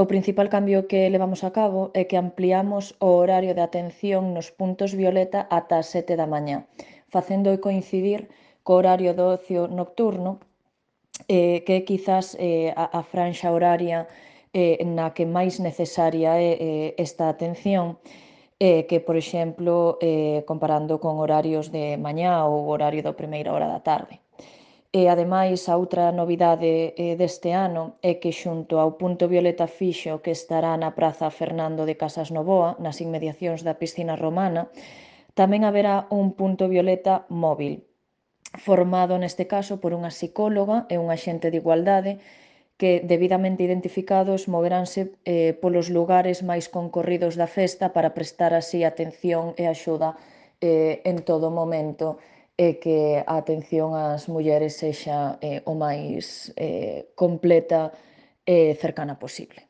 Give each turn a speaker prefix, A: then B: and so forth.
A: O principal cambio que levamos a cabo é que ampliamos o horario de atención nos puntos violeta ata as 7 da mañá, facendo coincidir co horario do ocio nocturno, que é quizás a franxa horaria na que máis necesaria é esta atención, que, por exemplo, comparando con horarios de mañá ou horario da primeira hora da tarde. E, ademais, a outra novidade deste ano é que xunto ao punto violeta fixo que estará na Praza Fernando de Casas Novoa, nas inmediacións da piscina romana, tamén haberá un punto violeta móvil, formado neste caso por unha psicóloga e un axente de igualdade que, debidamente identificados, moveránse polos lugares máis concorridos da festa para prestar así atención e axuda en todo momento e que a atención ás mulleres sexa o máis completa e cercana posible.